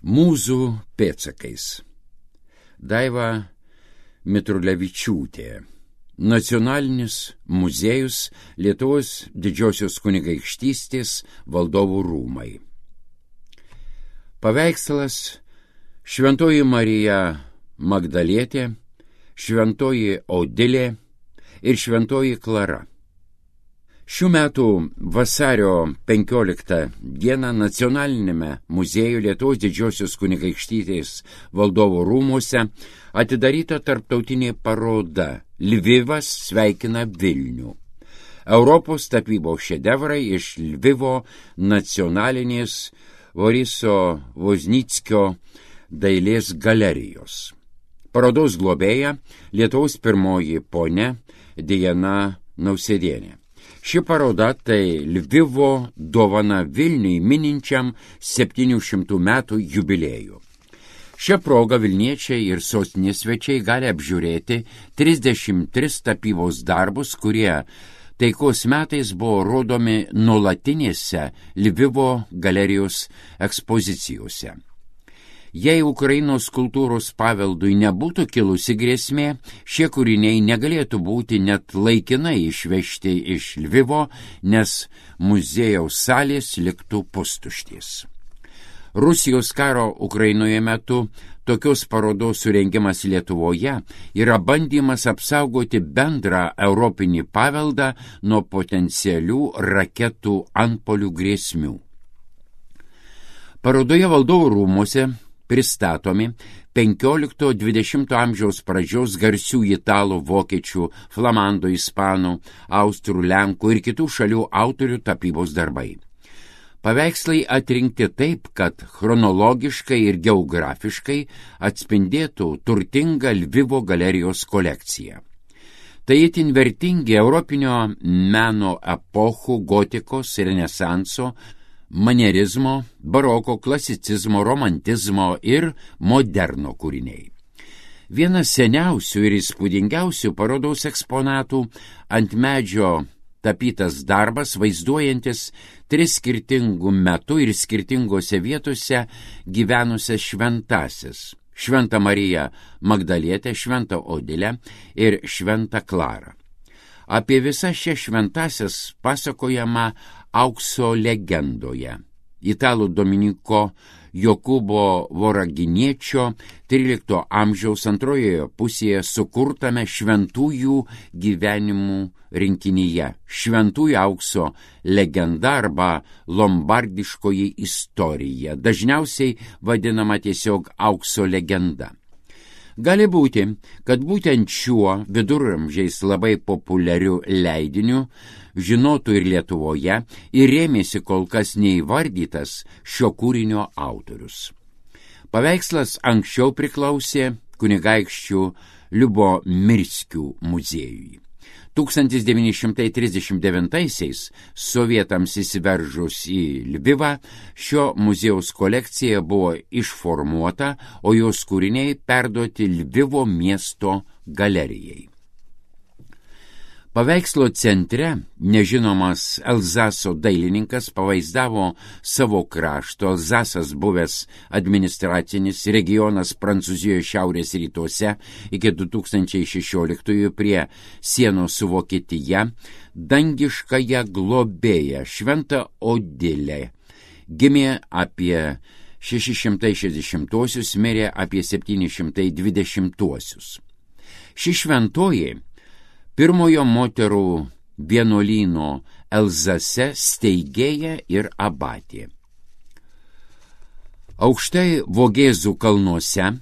Mūzų pėdsakais. Daiva Mitrulevičiūtė. Nacionalinis muziejus, Lietuvos Didžiosios kunigaikštystės valdovų rūmai. Paveikslas Šventoji Marija Magdalietė, Šventoji Odilė ir Šventoji Klara. Šių metų vasario 15 dieną Nacionalinėme muziejuje Lietuvos Didžiosios kunigaikštystės valdovų rūmuose atidaryta tarptautinė paroda Lvivas sveikina Vilnių. Europos tapybos šedevrai iš Lvivo nacionalinės Boriso Voznickio dailės galerijos. Parodos globėja Lietuvos pirmoji ponia Diana Nausėdienė. Ši paroda tai Lvivo dovana Vilniui mininčiam 700 metų jubiliejų. Šią progą Vilniečiai ir sostinės svečiai gali apžiūrėti 33 tapybos darbus, kurie taikos metais buvo rodomi nuolatinėse Lvivo galerijos ekspozicijose. Jei Ukrainos kultūros paveldui nebūtų kilusi grėsmė, šie kūriniai negalėtų būti net laikinai išvežti iš Lvivo, nes muziejaus salės liktų pustuštės. Rusijos karo Ukrainoje metu tokios parodos surengimas Lietuvoje yra bandymas apsaugoti bendrą europinį paveldą nuo potencialių raketų antpuolių grėsmių. Parodoje valdovų rūmuose pristatomi 15-20 amžiaus pradžios garsių italų, vokiečių, flamandų, ispanų, austrų, lenkų ir kitų šalių autorių tapybos darbai. Paveikslai atrinkti taip, kad chronologiškai ir geografiškai atspindėtų turtingą Lvivo galerijos kolekciją. Tai itin vertingi europinio meno epochų gotikos, renesanso, manierizmo, baroko, klasicizmo, romantizmo ir moderno kūriniai. Vienas seniausių ir įspūdingiausių parodos eksponatų ant medžio tapytas darbas, vaizduojantis 3 skirtingų metų ir skirtingose vietose gyvenusias šventąsias: Šventą Mariją Magdalietę, Šventą Odilę ir Šventą Klarą. Apie visas šias šventąsias pasakojama Aukso legendoje. Italų Dominiko Jokūbo Voraginiečio 13 amžiaus antrojoje pusėje sukurtame šventųjų gyvenimų rinkinyje Šventųjų aukso legenda arba lombardiškoji istorija, dažniausiai vadinama tiesiog aukso legenda. Gali būti, kad būtent šiuo viduramžiais labai populiariu leidiniu žinotų ir Lietuvoje ir rėmėsi kol kas neįvardytas šio kūrinio autorius. Paveikslas anksčiau priklausė kunigaikščių Liubomirskių muziejui. 1939-aisiais sovietams įsiveržus į Lvivą, šio muziejaus kolekcija buvo išformuota, o jos kūriniai perduoti Lvivo miesto galerijai. Paveikslo centre nežinomas Elzaso dailininkas pavaizdavo savo krašto, Elzasas buvęs administracinis regionas Prancūzijoje šiaurės rytuose iki 2016 prie sienos su Vokietija, dangiškąją globėją Šventą Odilę. Gimė apie 660-osius, mirė apie 720-osius. Ši šventoji pirmojo moterų vienuolyno Elzase steigėja ir abatė. Aukštai Vogėzų kalnuose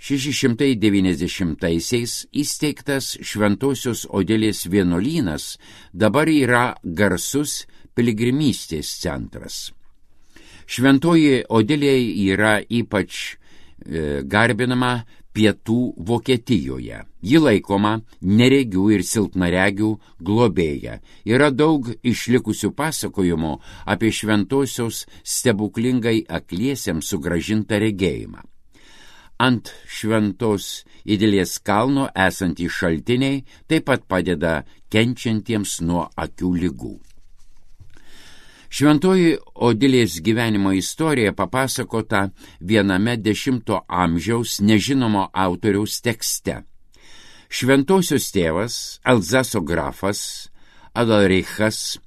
690-aisiais įsteigtas Šventosios Odilės vienuolynas dabar yra garsus piligrimystės centras. Šventoji Odilė yra ypač garbinama Pietų Vokietijoje. Ji laikoma neregių ir silpnaregių globėja. Yra daug išlikusių pasakojimų apie šventosios stebuklingai akliesiems sugrąžintą regėjimą. Ant Šventos Idilės kalno esantys šaltiniai taip pat padeda kenčiantiems nuo akių ligų. Šventoji Odilės gyvenimo istorija papasakota viename X amžiaus nežinomo autoriaus tekste. Šventosios tėvas, Elzaso grafas Adalrichas,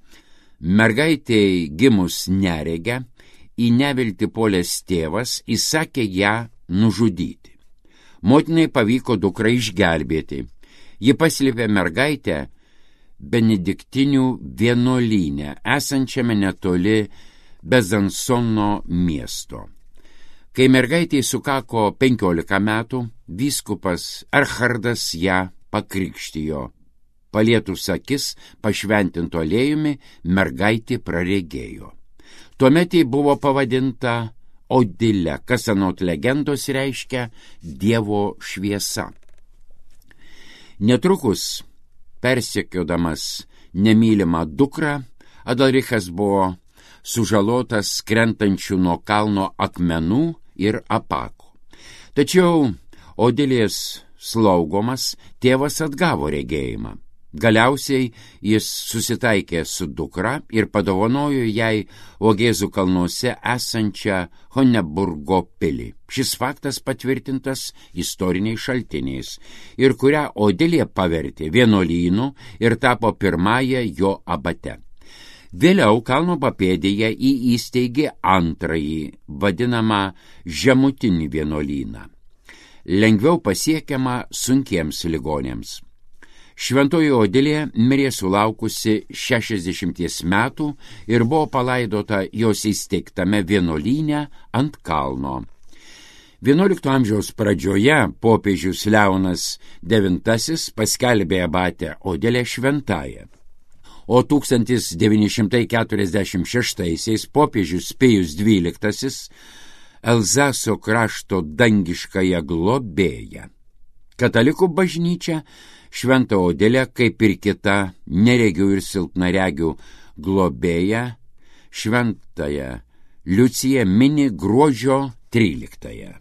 mergaitei gimus neregę, į neviltį puolęs tėvas įsakė ją nužudyti. Motinai pavyko dukrą išgelbėti. Ji paslėpė mergaitę Benediktinių vienuolyne, esančiame netoli Bezansono miesto. Kai mergaitei sukako 15 metų, vyskupas Erhardas ją pakrikštijo. Palietus akis pašventinto aliejumi, mergaitė praregėjo. Tuomet ji buvo pavadinta Odile, kas anot legendos reiškia Dievo šviesa. Netrukus, persekiodamas nemylimą dukrą, Adalrichas buvo sužalotas krentančių nuo kalno akmenų ir apako. Tačiau Odilės slaugomas tėvas atgavo regėjimą. Galiausiai jis susitaikė su dukra ir padovanojo jai Vogėzų kalnuose esančią Honeburgo pilį. Šis faktas patvirtintas istoriniais šaltiniais ir kurią Odilė pavertė vienuolynu ir tapo pirmąją jo abate. Vėliau kalno papėdėje įsteigė antrąjį, vadinamą žemutinį vienuolyną, lengviau pasiekiamą sunkiems ligonėms. Šventoji Odilė mirė sulaukusi 60 metų ir buvo palaidota jos įsteigtame vienuolyne ant kalno. XI amžiaus pradžioje popiežius Leonas IX paskelbė abatę Odilę šventąją, o 1946 popiežius Pijus XII Elzaso krašto dangiškąją globėją. Katalikų bažnyčia Šventą Odilę, kaip ir kita neregių ir silpnaregių globėja, Šventąją Liuciją mini gruodžio 13.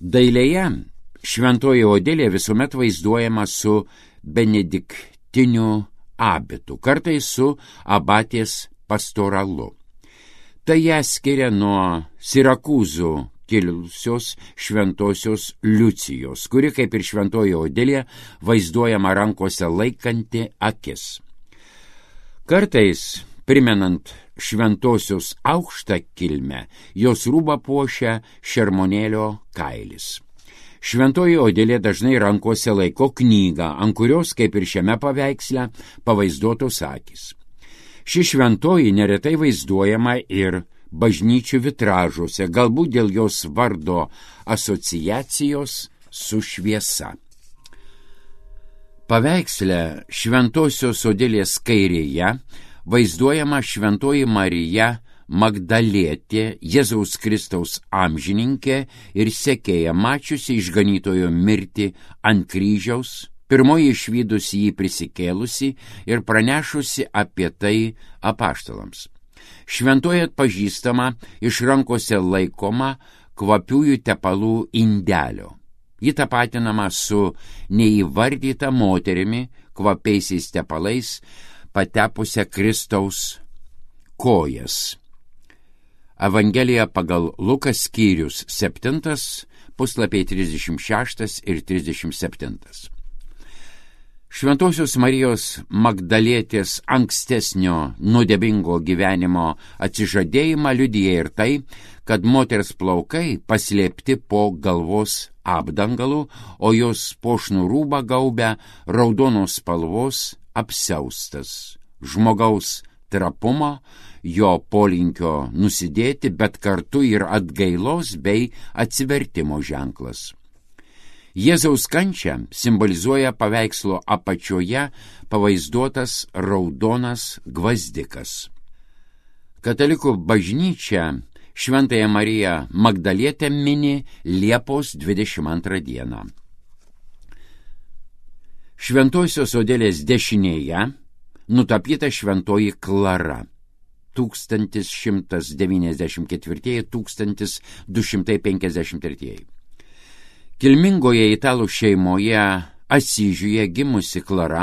Dailėje Šventoji Odilė visuomet vaizduojama su benediktiniu abitu, kartais su abatės pastoralu. Tai ją skiria nuo Sirakūzų kilusios šventosios Liucijos, kuri, kaip ir Šventoji Odilė, vaizduojama rankose laikanti akis. Kartais, primenant šventosios aukštą kilmę, jos rūbą puošia šermonėlio kailis. Šventoji Odilė dažnai rankose laiko knygą, ant kurios, kaip ir šiame paveiksle, pavaizduotos akys. Ši šventoji neretai vaizduojama ir bažnyčių vitražuose, galbūt dėl jos vardo asociacijos su šviesa. Paveiksle Šventosios Odilės kairėje vaizduojama Šventoji Marija Magdalietė, Jėzaus Kristaus amžininkė ir sekėja, mačiusi išganytojo mirtį ant kryžiaus, pirmoji išvydusi jį prisikėlusi ir pranešusi apie tai apaštalams. Šventoji atpažįstama iš rankose laikoma kvapiųjų tepalų indelio. Ji tapatinama su neįvardyta moterimi kvapiaisiais tepalais patepusią Kristaus kojas. Evangelija pagal Lukas skyrius 7, puslapiai 36 ir 37. Šventosios Marijos Magdalietės ankstesnio nuodėmingo gyvenimo atsižadėjimą liudija ir tai, kad moters plaukai paslėpti po galvos apdangalu, o jos puošnų rūbą gaubia raudonos spalvos apsiaustas. Žmogaus trapumo, jo polinkio nusidėti, bet kartu ir atgailos bei atsivertimo ženklas. Jėzaus kančią simbolizuoja paveikslo apačioje pavaizduotas raudonas gvazdikas. Katalikų bažnyčia Šventąją Mariją Magdalietę mini Liepos 22 dieną. Šventosios Odilės dešinėje nutapyta Šventoji Klara 1194-1253. Kilmingoje italų šeimoje Asyžiuje gimusi Klara,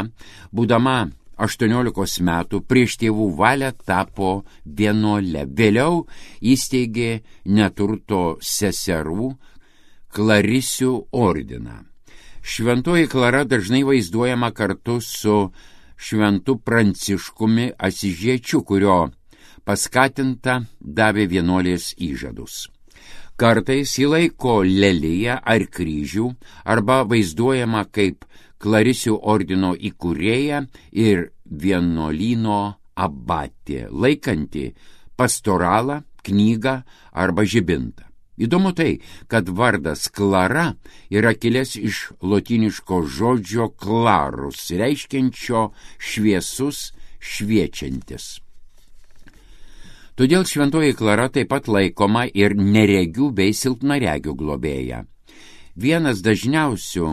būdama 18 metų prieš tėvų valią tapo vienuole. Vėliau įsteigė neturto seserų Klarisių ordiną. Šventoji Klara dažnai vaizduojama kartu su šventu Pranciškumi Asyžiečiu, kurio paskatinta davė vienuolės įžadus. Kartais jį laiko leliją ar kryžių arba vaizduojama kaip Klarisių ordino įkūrėja ir vienuolyno abatė, laikanti pastoralą, knygą arba žibintą. Įdomu tai, kad vardas Klara yra kilęs iš lotyniško žodžio clarus, reiškiančio šviesus, šviečiantis. Todėl šventoji Klara taip pat laikoma ir neregių bei silpnaregių globėja. Vienas dažniausių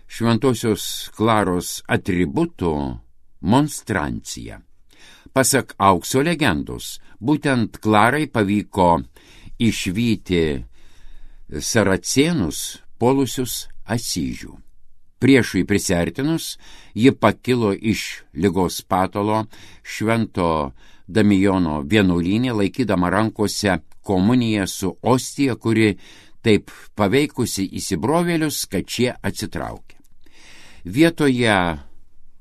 šventosios Klaros atributų – monstrancija. Pasak aukso legendos, būtent Klarai pavyko išvyti saracėnus puolusius Asyžių. Priešui prisiartinus, ji pakilo iš ligos patalo švento Damijono vienuolyne, laikydama rankose komuniją su ostija, kuri taip paveikusi įsibrovėlius, kad šie atsitraukė. Vietoje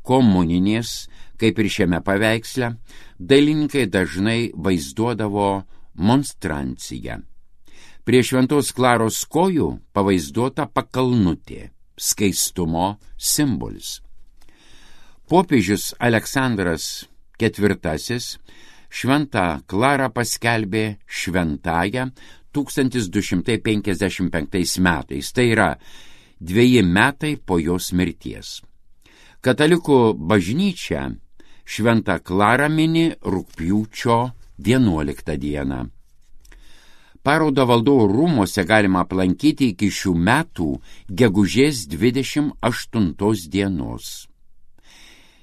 komuninės, kaip ir šiame paveiksle, dailininkai dažnai vaizduodavo monstranciją. Prie šventos Klaros kojų pavaizduota pakalnutė, skaistumo simbolis. Popiežius Aleksandras IV šventą Klarą paskelbė šventąją 1255 metais, tai yra 2 metai po jos mirties. Katalikų bažnyčia šventą Klarą mini rugpjūčio 11 dieną. Parodą Valdovų rūmuose galima aplankyti iki šių metų gegužės 28 dienos.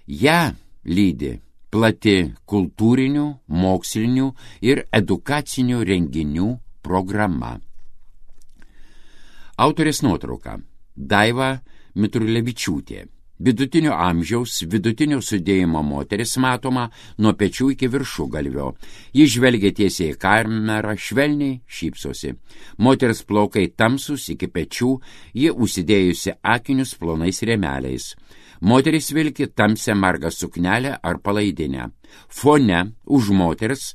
Ja lydi plati kultūrinių, mokslinių ir edukacinių renginių programa. Autorės nuotrauka Daiva Mitrulevičiūtė. Vidutinio amžiaus, vidutinio sudėjimo moteris matoma nuo pečių iki viršugalvio. Ji žvelgia tiesiai į kamerą, švelniai šypsosi. Moters plaukai tamsus iki pečių, ji užsidėjusi akinius plonais rėmeliais. Moteris vilki tamsią margą suknelę ar palaidinę. Fone už moters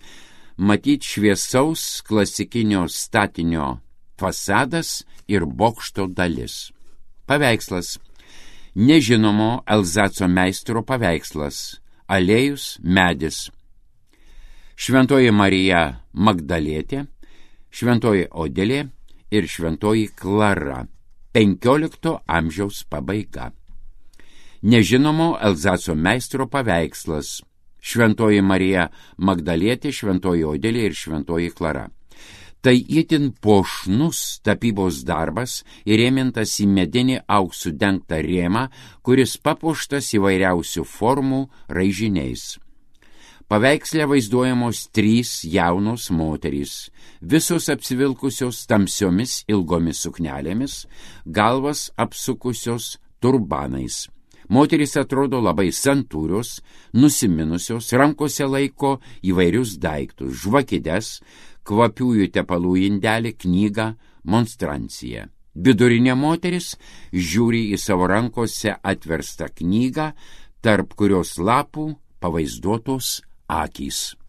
matyt šviesaus klasikinio statinio fasadas ir bokšto dalis. Paveikslas. Nežinomo Elzaco meistro paveikslas. Aliejus, medis. Šventoji Marija Magdalietė, šventoji Odelė ir šventoji Klara. 15 amžiaus pabaiga. Nežinomo Elzaco meistro paveikslas. Šventoji Marija Magdalietė, šventoji Odelė ir šventoji Klara. Tai itin puošnus tapybos darbas įrėmintas į medinį auksų dengtą rėmą, kuris papuoštas įvairiausių formų raižiniais. Paveiksle vaizduojamos 3 jaunos moterys, visos apsivilkusios tamsiomis ilgomis suknelėmis, galvas apsukusios turbanais. Moterys atrodo labai santūrios, nusiminusios, rankose laiko įvairius daiktus, žvakides, kvapiųjų tepalų indelį, knygą, monstranciją. Vidurinė moteris žiūri į savo rankose atverstą knygą, tarp kurios lapų pavaizduotos akys.